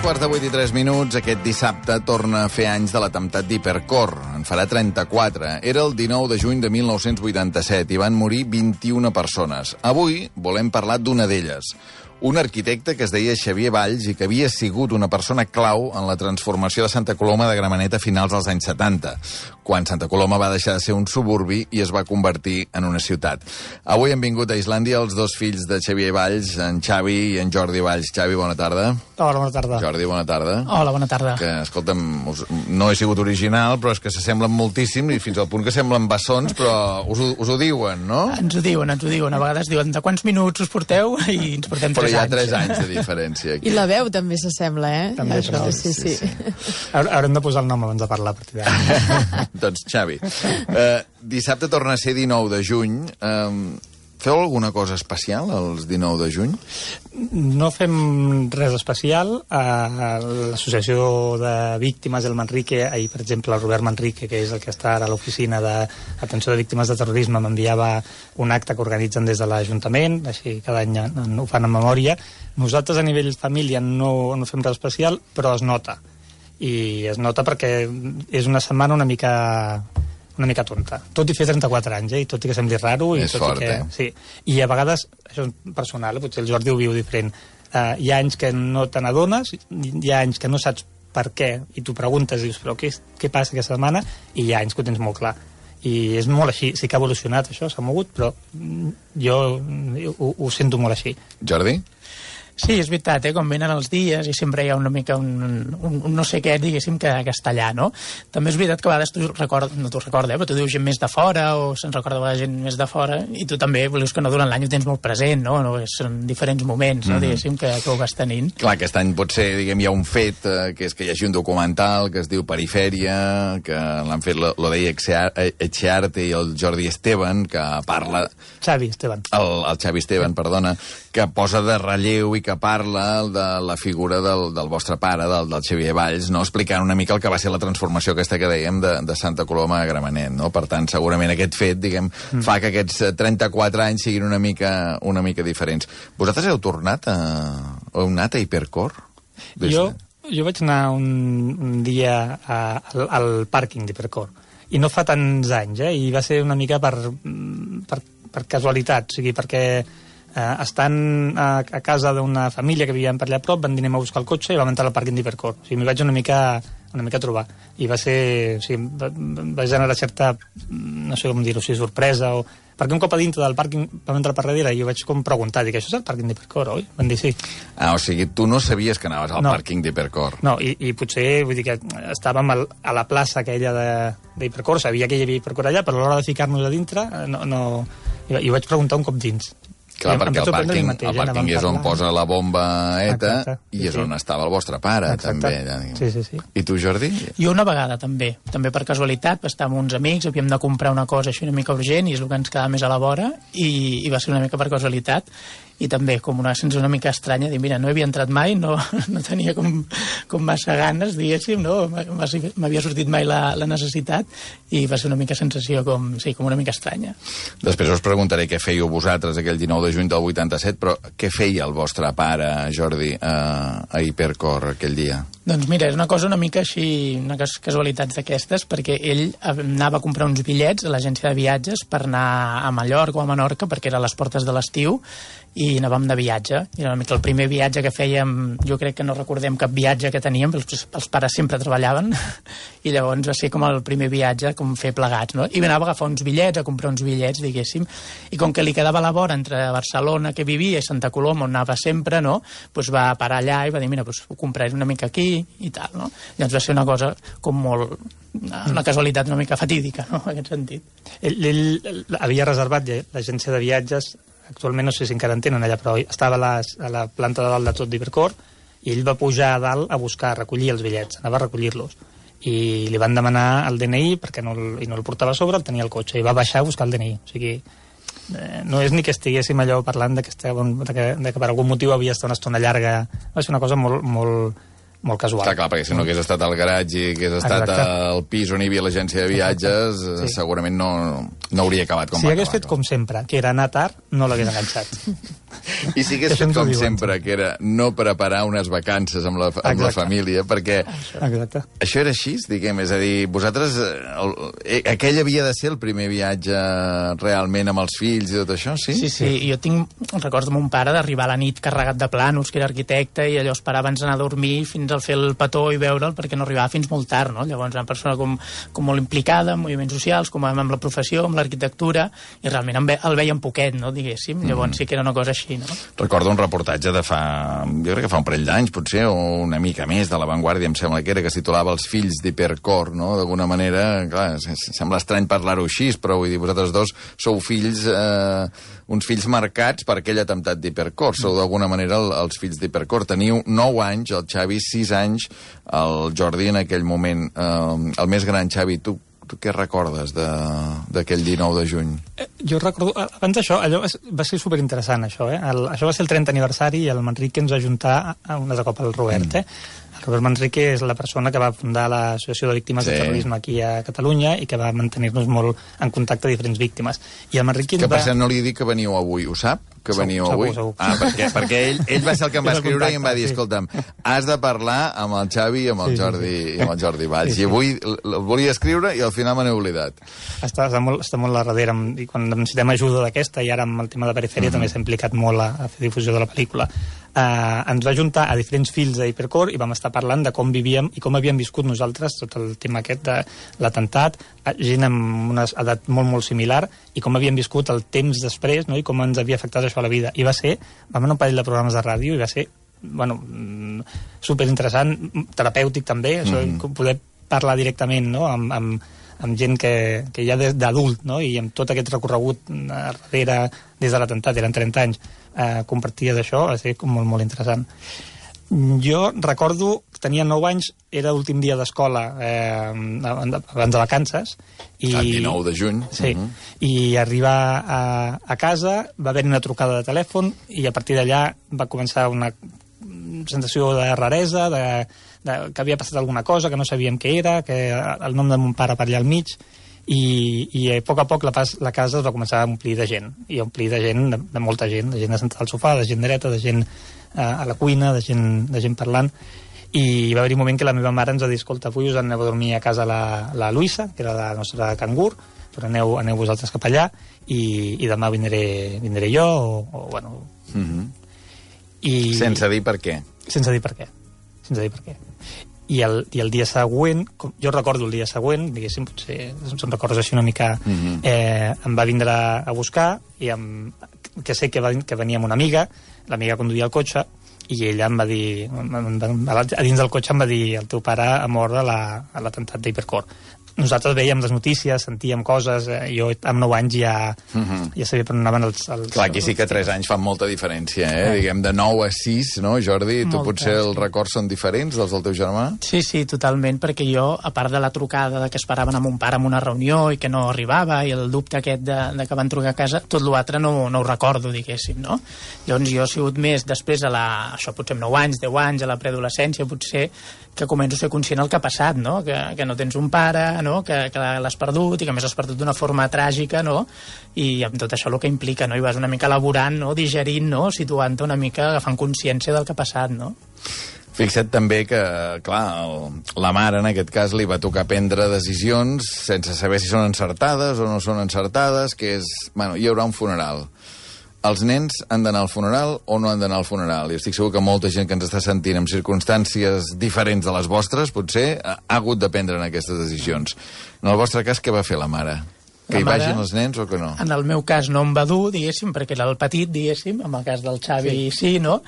7:03, aquest dissabte torna a fer anys de l'atemptat d'Hipercor. En farà 34. Era el 19 de juny de 1987 i van morir 21 persones. Avui volem parlar d'una d'elles. Un arquitecte que es deia Xavier Valls i que havia sigut una persona clau en la transformació de Santa Coloma de Gramenet a finals dels anys 70, quan Santa Coloma va deixar de ser un suburbi i es va convertir en una ciutat. Avui han vingut a Islàndia els dos fills de Xavier Valls, en Xavi i en Jordi Valls. Xavi, bona tarda. Hola, bona tarda. Jordi, bona tarda. Hola, bona tarda. Que, escolta'm, no he sigut original, però és que s'assemblen moltíssim i fins al punt que semblen bessons, però us ho diuen, no? Ens ho diuen. A vegades diuen de quants minuts us porteu i ens portem 3 anys. Però hi ha 3 anys de diferència aquí. I la veu també s'assembla, També, això. Sí. Haurem de posar el nom abans de parlar a partir d'ara. Doncs, Xavi, dissabte torna a ser 19 de juny. Feu alguna cosa especial els 19 de juny? No fem res especial. L'Associació de Víctimes del Manrique, ahir, per exemple, el Robert Manrique, que és el que està ara a l'oficina d'atenció de víctimes de terrorisme, m'enviava un acte que organitzen des de l'Ajuntament, així cada any ho fan en memòria. Nosaltres, a nivell família, no fem res especial, però es nota. I es nota perquè és una setmana una mica tonta. Tot i fer 34 anys, i tot i que sembli raro. És fort, Sí. I a vegades, això és personal, potser el Jordi ho viu diferent, hi ha anys que no te n'adones, hi ha anys que no saps per què, i tu preguntes, dius, però què passa aquesta setmana? I hi ha anys que ho tens molt clar. I és molt així, sí que ha evolucionat això, s'ha mogut, però jo ho sento molt així. Jordi? Sí, és veritat, quan venen els dies i sempre hi ha una mica un no sé què, diguéssim, que està allà, no? També és veritat que a vegades no t'ho recorda, però tu dius gent més de fora o se'n recorda a vegades gent més de fora i tu també, vols que no durant l'any ho tens molt present, no? Són diferents moments, no? Diguéssim, que ho vas tenint. Clar, aquest any potser, diguem, hi ha un fet, que és que hi hagi un documental que es diu Perifèria, que l'han fet l'Odeia Etxearte i el Jordi Esteban, que parla... Xavi Esteban. El Xavi Esteban, perdona, que posa de relleu i que parla de la figura del vostre pare, del Xavier Valls, no? Explicant una mica el que va ser la transformació aquesta que dèiem de Santa Coloma a Gramenet, no? Per tant, segurament aquest fet, diguem, fa que aquests 34 anys siguin una mica diferents. Vosaltres heu tornat heu anat a Hipercor? Jo vaig anar un dia al pàrquing d'Hipercor, i no fa tants anys, i va ser una mica per casualitat, o sigui, perquè estant a casa d'una família que vivien per allà a prop, van dir anem a buscar el cotxe i vam entrar al pàrquing d'Hipercor. O sigui, m'hi vaig una mica a trobar. I va ser... O sigui, va generar certa, no sé com dir-ho, sorpresa o... Perquè un cop a dintre del pàrquing vam entrar per darrere i jo vaig com preguntar, dic, això és el pàrquing d'Hipercor, oi? Van dir sí. O sigui, tu no sabies que anaves al pàrquing d'Hipercor. No, i potser, vull dir que estàvem a la plaça aquella d'Hipercor, sabia que hi havia Hipercor allà, però a l'hora de ficar-nos a dintre, no... I ho vaig preguntar un cop dins. Clar, perquè el pàrquing és on posa la bomba ETA i és on estava el vostre pare, també. Sí. I tu, Jordi? Jo una vegada, també per casualitat, estàvem amb uns amics, havíem de comprar una cosa així una mica urgent i és el que ens quedava més a la vora i va ser una mica per casualitat i també com una sensació una mica estranya, dir, mira, no havia entrat mai, no tenia com massa ganes, diguéssim, no m'havia sortit mai la necessitat i va ser una mica sensació com una mica estranya. Després us preguntaré què fèieu vosaltres aquell 19 de juny del 87, però què feia el vostre pare, Jordi, a Hipercor aquell dia? Doncs mira, és una cosa una mica així, una casualitats d'aquestes, perquè ell anava a comprar uns bitllets a l'agència de viatges per anar a Mallorca o a Menorca, perquè era a les portes de l'estiu, i anàvem de viatge. I era una mica el primer viatge que fèiem, jo crec que no recordem cap viatge que teníem, els pares sempre treballaven, i llavors va ser com el primer viatge, com fer plegats, no? I anava a agafar uns bitllets, a comprar uns bitllets, diguéssim, i com que li quedava a la vora entre Barcelona, que vivia, i Santa Coloma, on anava sempre, no? Doncs va parar allà i va dir, mira, ho compraré una mica aquí, i tal, no? Llavors va ser una cosa com molt... una casualitat una mica fatídica, no?, en aquest sentit. Ell havia reservat l'agència de viatges, actualment no sé si encara en tenen allà, però estava a la planta de dalt de tot d'Hipercor i ell va pujar a dalt a recollir els bitllets, anava a recollir-los. I li van demanar el DNI perquè no el portava a sobre, el tenia al cotxe, i va baixar a buscar el DNI. O sigui, no és ni que estiguéssim allò parlant de que per algun motiu havia estat una estona llarga. Va ser una cosa molt molt casual. Clar, perquè si no hagués estat al garatge i hagués estat al pis on hi havia l'agència de viatges, segurament no hauria acabat com va acabar. Si hagués fet com sempre, que era anar tard, no l'hagués enganxat. I si hagués fet com sempre, que era no preparar unes vacances amb la família, perquè això era així, diguem, és a dir, vosaltres, aquell havia de ser el primer viatge realment amb els fills i tot això, sí? Sí, jo tinc records de mon pare d'arribar a la nit carregat de plànols, que era arquitecte, i allò esperava abans d'anar a dormir fins al fer el petó i veure'l, perquè no arribava fins molt tard, no? Llavors, una persona com molt implicada en moviments socials, com amb la professió, amb l'arquitectura, i realment el veien poquet, no?, diguéssim. Llavors sí que era una cosa així, no? Recordo un reportatge de jo crec que fa un parell d'anys, potser, o una mica més, de La Vanguardia, em sembla que era, que es titulava Els fills d'Hipercor, no? D'alguna manera, clar, sembla estrany parlar-ho així, però vull dir, vosaltres dos sou fills, uns fills marcats per aquell atemptat d'Hipercor, sou d'alguna manera els fills d'Hipercor. Teniu 9 anys, el Xavi 6 anys, el Jordi en aquell moment, el més gran. Xavi, tu què recordes d'aquell 19 de juny? Jo recordo, abans d'això, allò va ser superinteressant, això, això va ser el 30 aniversari i el Manrique ens va ajuntar un altre cop al Robert, El Robert Manrique és la persona que va fundar l'Associació de Víctimes de Terrorisme aquí a Catalunya i que va mantenir-nos molt en contacte a diferents víctimes. I el Manrique que per cert no li dic que veniu avui, ho sap? Que veniu avui? Segur. Perquè ell va ser el que em va escriure i em va dir, escolta'm, has de parlar amb el Xavi i amb el Jordi Valls. I avui el volia escriure i al final me n'he oblidat. Està molt a darrere, i quan necessitem ajuda d'aquesta, i ara amb el tema de Perifèria també s'ha implicat molt a fer difusió de la pel·lícula. Ens va ajuntar a diferents fills d'Hipercor i vam estar parlant de com vivíem i com havíem viscut nosaltres tot el tema aquest de l'atemptat, gent amb una edat molt, molt similar, i com havíem viscut el temps després, no? I com ens havia afectat això a la vida. I vam anar un parell de programes de ràdio i va ser, superinteressant, terapèutic també, això, poder parlar directament, no?, amb gent que ja d'adult, no?, i amb tot aquest recorregut darrere des de l'atemptat, eren 30 anys, compartia d'això, va ser molt, molt interessant. Jo recordo que tenia 9 anys, era l'últim dia d'escola abans de vacances. El 19 de juny. Sí, i arribar a casa, va haver una trucada de telèfon i a partir d'allà va començar una sensació de raresa, que havia passat alguna cosa, que no sabíem què era, que el nom de mon pare per allà al mig, i a poc la casa es va començar a omplir de gent, i omplir de gent, de molta gent, de gent assentada al sofà, de gent dreta, de gent a la cuina, de gent parlant, i va haver-hi un moment que la meva mare ens va dir, escolta, avui us aneu a dormir a casa la Luisa, que era la nostra cangur, però aneu vosaltres cap allà, i demà vindré jo, o bueno... Sense dir per què. Sense dir per què. I el dia següent, jo recordo el dia següent, diguéssim, potser se'n recordes així una mica, em va vindre a buscar, i que sé que venia amb una amiga, l'amiga conduïa el cotxe, i ella em va dir, a dins del cotxe em va dir, el teu pare ha mort a l'atemptat d'Hipercor. Nosaltres veiem les notícies, sentíem coses, jo amb 9 anys ja sabia per on anaven els... Clar, aquí sí que 3 anys fan molta diferència, diguem, de 9 a 6, no, Jordi? Tu potser els records són diferents dels del teu germà? Sí, totalment, perquè jo, a part de la trucada que esperaven a mon pare en una reunió i que no arribava, i el dubte aquest de que van trucar a casa, tot l'altre no ho recordo, diguéssim, no? Llavors jo he sigut més després això potser amb 9 anys, 10 anys, a la preadolescència, potser que començo a ser conscient del que ha passat, no? Que no tens un pare, no? Que l'has perdut, i que a més l'has perdut d'una forma tràgica, no? I amb tot això el que implica, no? I vas una mica elaborant, no? Digerint, no? Situant-te una mica, agafant consciència del que ha passat, no? Fixa't també que, clar, la mare en aquest cas li va tocar prendre decisions sense saber si són encertades o no són encertades, que és, bueno, hi haurà un funeral. Els nens han d'anar al funeral o no han d'anar al funeral? I estic segur que molta gent que ens està sentint en circumstàncies diferents de les vostres potser ha hagut de prendre aquestes decisions. En el vostre cas, què va fer la mare? Que hi vagin els nens o que no? En el meu cas no em va dur, diguéssim, perquè era el petit, diguéssim, en el cas del Xavi sí, no?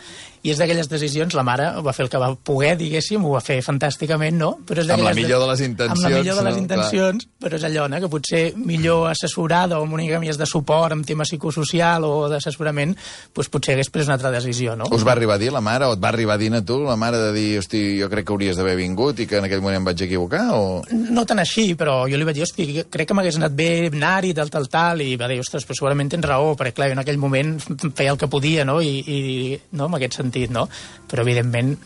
I és d'aquelles decisions, la mare va fer el que va poder, diguéssim, ho va fer fantàsticament, no? Però és amb la millor de les intencions. Amb la millor de les intencions, però és allò, no? Que potser millor assessorada o amb una mica més de suport en tema psicosocial o d'assessorament, doncs potser hagués pres una altra decisió, no? Us va arribar a dir la mare, o et va arribar a dir a tu, la mare, de dir, hosti, jo crec que hauries d'haver vingut i que en aquell moment em vaig equivocar, o...? No tan així, però jo li vaig dir, hosti, crec que m'hagués anat bé anar-hi, tal, i va dir, ostres, però segurament tens raó, perquè clar, en aquell moment feia el que podia, no? I no, en aquest sentit, sentit, no? Però, evidentment,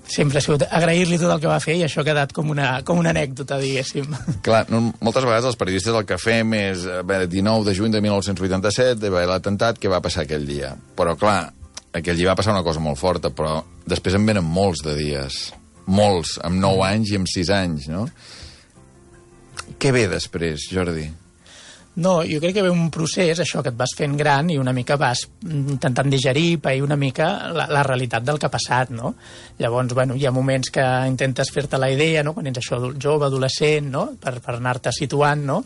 sempre ha sigut agrair-li tot el que va fer i això ha quedat com una anècdota, diguéssim. Clar, moltes vegades els periodistes el que fem és 19 de juny de 1987, va haver l'atemptat, què va passar aquell dia? Però, clar, aquell dia va passar una cosa molt forta, però després en venen molts de dies. Molts, amb 9 anys i amb 6 anys, no? Què ve després, Jordi? No, jo crec que ve un procés, això, que et vas fent gran i una mica vas intentant digerir, pair una mica la realitat del que ha passat, no? Llavors, bueno, hi ha moments que intentes fer-te la idea, no?, quan ets això jove, adolescent, no?, per anar-te situant, no?,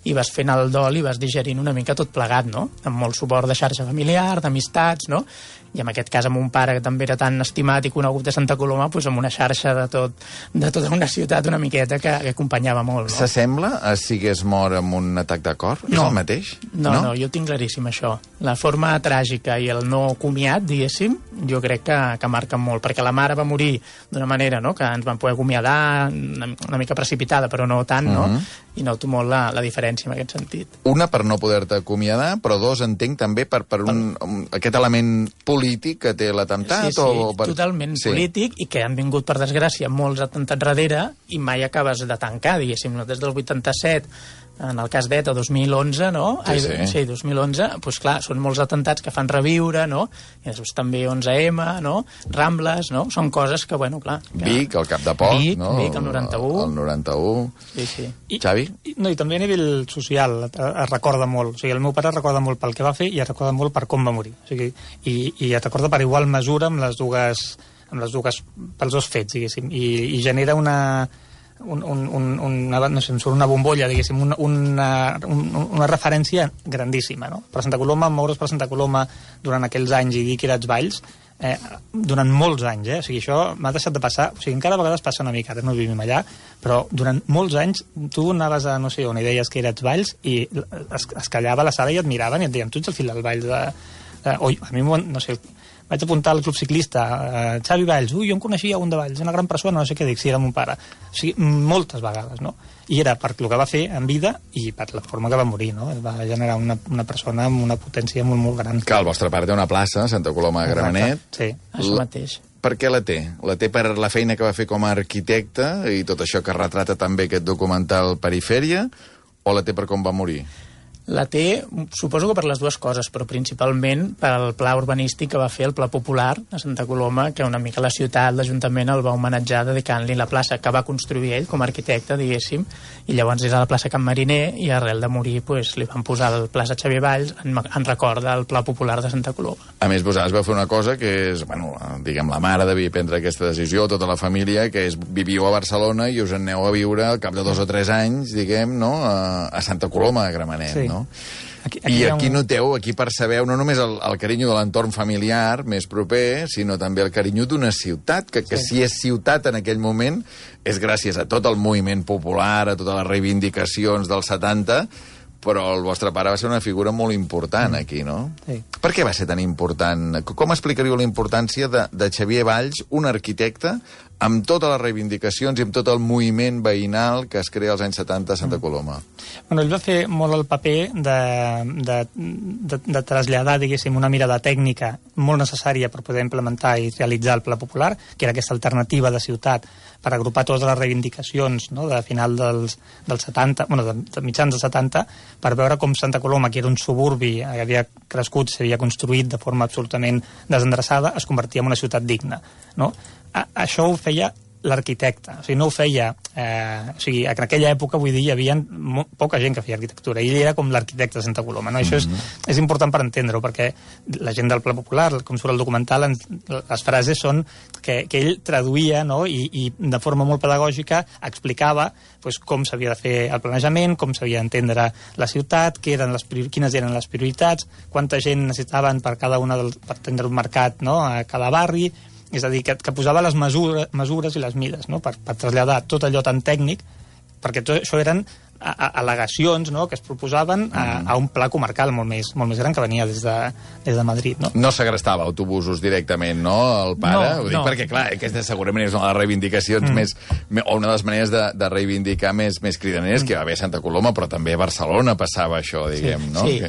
i vas fent el dol i vas digerint una mica tot plegat, no?, amb molt suport de xarxa familiar, d'amistats, no?, i en aquest cas amb un pare que també era tan estimat i conegut de Santa Coloma, doncs amb una xarxa de tota una ciutat una miqueta que acompanyava molt, no? S'assembla a si hagués mort amb un atac de cor? No. És el mateix? No, jo ho tinc claríssim, això. La forma tràgica i el no comiat, diguéssim, jo crec que marquen molt, perquè la mare va morir d'una manera, no?, que ens van poder acomiadar una mica precipitada, però no tant, no? I noto molt la diferència en aquest sentit. Una, per no poder-te acomiadar, però dos, entenc també per aquest element polític que té l'atemptat? Sí, totalment polític, i que han vingut, per desgràcia, molts atemptats darrere i mai acabes de tancar, diguéssim. Des del 87, en el cas d'ETA, 2011, no? Sí, 2011, doncs clar, són molts atemptats que fan reviure, no? I després també 11M, no? Rambles, no? Són coses que, bueno, clar... Vic, al cap de poc, no? Vic, el 91. El 91. Sí. Xavi? I també a nivell social es recorda molt. O sigui, el meu pare recorda molt pel que va fer i es recorda molt per com va morir. O sigui, i es recorda per igual mesura amb les dues pels dos fets, diguéssim. I genera una no sé, una bombolla, diguéssim, una referència grandíssima, no? Per Santa Coloma, moure's per Santa Coloma durant aquells anys i dir que eres Valls, durant molts anys, O sigui, això m'ha deixat de passar, o sigui, encara a vegades passa una mica, ara no vivim allà, però durant molts anys tu anaves a, no sé, on i deies que eres Valls i es callava a la sala i et miraven i et deien, tu ets el fill del Valls a mi, no sé, vaig apuntar al club ciclista, Xavi Valls, jo em coneixia un de Valls, una gran persona, no sé què dic, si era mon pare. O sigui, moltes vegades, no? I era per el que va fer en vida i per la forma que va morir, no? Va generar una persona amb una potència molt, molt gran. Que el vostre pare té una plaça, Santa Coloma de Gramenet. Sí. Això mateix. Per què la té? La té per la feina que va fer com a arquitecte i tot això que retrata també aquest documental Perifèria, o la té per com va morir? La té, suposo que per les dues coses, però principalment pel pla urbanístic que va fer, el Pla Popular a Santa Coloma, que una mica la ciutat, l'Ajuntament el va homenatjar dedicant-li la plaça que va construir ell com a arquitecte, diguéssim, i llavors és a la plaça Can Mariner i arrel de morir pues, li van posar la plaça Xavier Valls en record del Pla Popular de Santa Coloma. A més, vosaltres vau fer una cosa que és, bueno, diguem, la mare devia prendre aquesta decisió, tota la família, que és viviu a Barcelona i us en aneu a viure al cap de 2 o 3 anys, diguem, no?, a Santa Coloma de Gramenet, sí. No? Aquí noteu, aquí percebeu no només el carinyo de l'entorn familiar més proper, sinó també el carinyo d'una ciutat, que si és ciutat en aquell moment és gràcies a tot el moviment popular, a totes les reivindicacions dels 70, però el vostre pare va ser una figura molt important aquí, no? Sí. Per què va ser tan important? Com explicaríeu la importància de Xavier Valls, un arquitecte, amb totes les reivindicacions i amb tot el moviment veïnal que es crea als anys 70 a Santa Coloma? Bueno, ell va fer molt el paper de traslladar, diguéssim, una mirada tècnica molt necessària per poder implementar i realitzar el Pla Popular, que era aquesta alternativa de ciutat per agrupar totes les reivindicacions, no?, de final dels 70, bueno, de mitjans dels 70, per veure com Santa Coloma, que era un suburbi que havia crescut, s'havia construït de forma absolutament desendreçada, es convertia en una ciutat digna, no? Això ho feia l'arquitecte, o sigui, no ho feia... o sigui, en aquella època, vull dir, hi havia poca gent que feia arquitectura, i ell era com l'arquitecte de Santa Coloma, no? Això és important per entendre-ho, perquè la gent del Pla Popular, com surt el documental, les frases són que ell traduïa, no?, i de forma molt pedagògica explicava pues, com s'havia de fer el planejament, com s'havia d'entendre la ciutat, quines eren les prioritats, quanta gent necessitaven per cada per tindre un mercat, no?, a cada barri. És a dir, que posava les mesures i les mides, no?, per traslladar tot allò tan tècnic, perquè tot això eren al·legacions, no?, que es proposaven a un pla comarcal molt més gran que venia des de Madrid, no? No segrestava autobusos directament, no, el pare? Ho dic perquè, clar, aquesta segurament és una de les reivindicacions o una de les maneres de reivindicar més cridaneres, que va haver a Santa Coloma, però també a Barcelona passava això, diguem, no? Sí,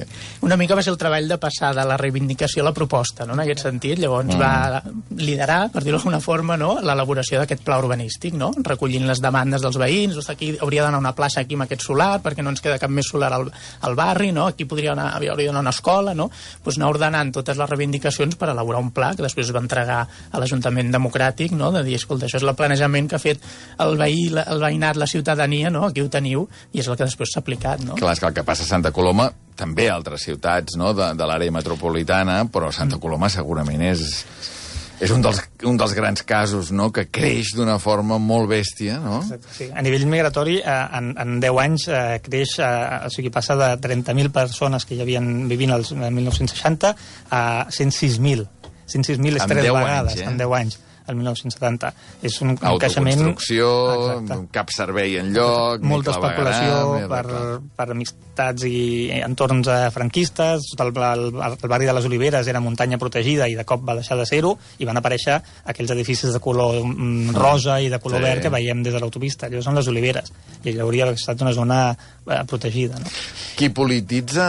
una mica va ser el treball de passar de la reivindicació a la proposta, no?, en aquest sentit. Llavors va liderar, per dir-ho d'alguna forma, no?, l'elaboració d'aquest pla urbanístic, no?, recollint les demandes dels veïns. Aquí hauria d'anar una plaça aquí amb aquest solar, perquè no ens queda cap més solar al barri, no?, aquí hauria d'anar una escola, no?, doncs anar ordenant totes les reivindicacions per elaborar un pla que després es va entregar a l'Ajuntament Democràtic, no?, de dir, escolta, això és el planejament que ha fet el veïnat, la ciutadania, no?, aquí ho teniu, i és el que després s'ha aplicat, no? Clar, és que el que passa a Santa Coloma, també a altres ciutats, no?, de l'àrea metropolitana, però Santa Coloma segurament és un dels grans casos, no?, que creix d'una forma molt bèstia, no? Exacte, sí. A nivell migratori, en 10 anys creix, o sigui, passa de 30.000 persones que hi havien vivint el 1960 a 106.000. 106.000 és 3 vegades, en 10 anys, el 1970. És un creixement... Autoconstrucció, cap servei enlloc... Molta especulació per amistats i entorns franquistes. El barri de les Oliveres era muntanya protegida i de cop va deixar de ser-ho, i van aparèixer aquells edificis de color rosa i de color verd que veiem des de l'autopista. Allò són les Oliveres, i allò hauria estat una zona protegida, no? Qui polititza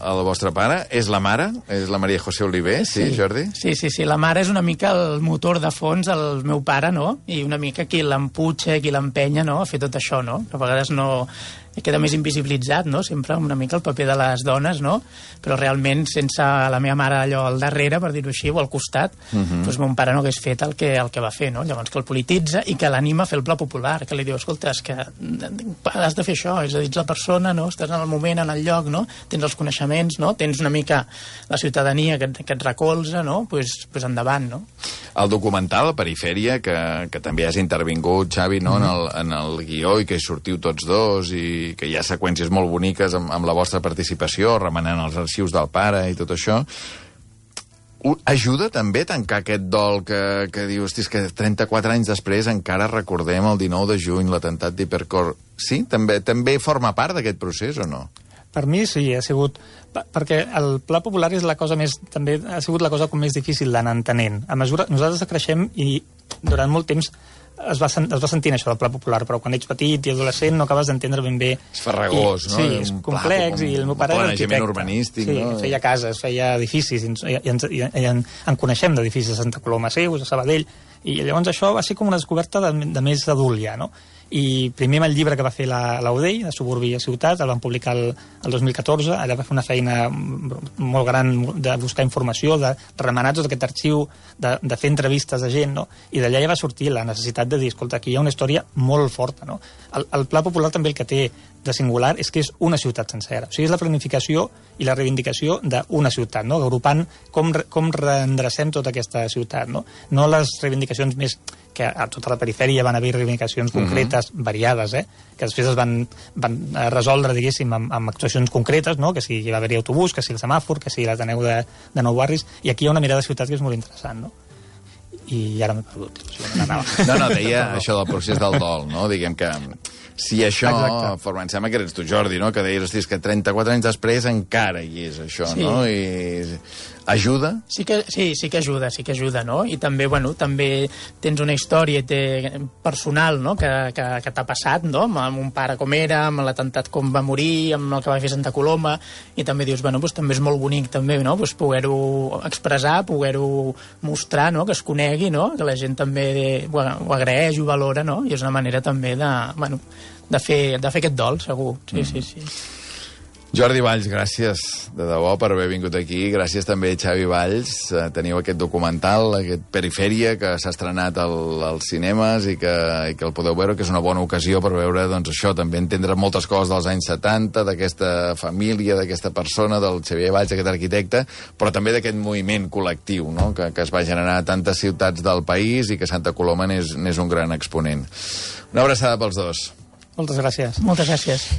el vostre pare és la mare? És la Maria José Oliver, sí, Jordi? Sí, la mare és una mica el motor de fons, el meu pare, no? I una mica qui l'emputxa, qui l'empenya, no?, a fer tot això, no? Que a vegades no... queda més invisibilitzat, no?, sempre una mica el paper de les dones, no?, però realment sense la meva mare allò al darrere, per dir-ho així, o al costat, doncs mon pare no hagués fet el que va fer, no? Llavors que el polititza i que l'anima a fer el pla popular, que li diu, escolta, és que has de fer això, és a dir, ets la persona, no?, estàs en el moment, en el lloc, no?, tens els coneixements, no?, tens una mica la ciutadania que et recolza, no?, doncs endavant, no? El documental, Perifèria, que també has intervingut, Xavi, no?, en el guió, i que hi sortiu tots dos, i que hi ha seqüències molt boniques amb la vostra participació, remenant els arxius del pare i tot això. Ajuda també a tancar aquest dol que dius, hosti, que 34 anys després encara recordem el 19 de juny, l'atemptat d'Hipercor. Sí? També forma part d'aquest procés o no? Per mi sí, ha sigut... Perquè el pla popular és la cosa més... També ha sigut la cosa com més difícil d'anar entenent. A mesura... Nosaltres creixem i durant molt temps es va sentint això del pla popular, però quan ets petit i adolescent no acabes d'entendre ben bé... És farragós, no? Sí, és complex, i el meu pare era arquitecte. Urbanístic, sí, no? Feia cases, feia edificis, i en coneixem d'edificis a Santa Coloma Seus, a Sabadell, i llavors això va ser com una descoberta de més adult ja, no? I primer amb el llibre que va fer l'Audell, de Suburbi a Ciutat, el van publicar el 2014, allà va fer una feina molt gran de buscar informació, de remenar tot aquest arxiu, de fer entrevistes de gent, no? I d'allà ja va sortir la necessitat de dir, escolta, aquí hi ha una història molt forta, no? El Pla Popular també el que té de singular és que és una ciutat sencera. O sigui, és la planificació i la reivindicació d'una ciutat, no? Agrupant com reendrecem tota aquesta ciutat, no? No les reivindicacions més que a tota la perifèria van haver reivindicacions concretes, variades, que després es van resoldre, diguéssim, amb actuacions concretes, no? Que si hi va haver-hi autobús, que si el semàfor, que si l'Ateneu de Nou Barris, i aquí hi ha una mirada de ciutat que és molt interessant, no? I ara m'he perdut. No, deia això del procés del dol, no? Diguem que si això, em sembla que eres tu, Jordi, no? Que deies, hosti, que 34 anys després encara hi és això, no? I ajuda? Sí que ajuda, no? I també, bueno, també tens una història personal, no?, que t'ha passat, no?, amb un pare com era, amb l'atemptat com va morir, amb el que va fer Santa Coloma, i també dius, bueno, doncs també és molt bonic, també, no?, doncs poder-ho expressar, poder-ho mostrar, no?, que es conegui, no?, que la gent també ho agraeix, ho valora, no?, i és una manera també de fer aquest dol, segur. Sí. Jordi Valls, gràcies de debò per haver vingut aquí. Gràcies també, Xavi Valls. Teniu aquest documental, aquest Perifèria, que s'ha estrenat als cinemes i que el podeu veure, que és una bona ocasió per veure, doncs, això, també entendre moltes coses dels anys 70, d'aquesta família, d'aquesta persona, del Xavier Valls, aquest arquitecte, però també d'aquest moviment col·lectiu, no?, que es va generar a tantes ciutats del país i que Santa Coloma n'és un gran exponent. Una abraçada pels dos. Moltes gràcies. Moltes gràcies.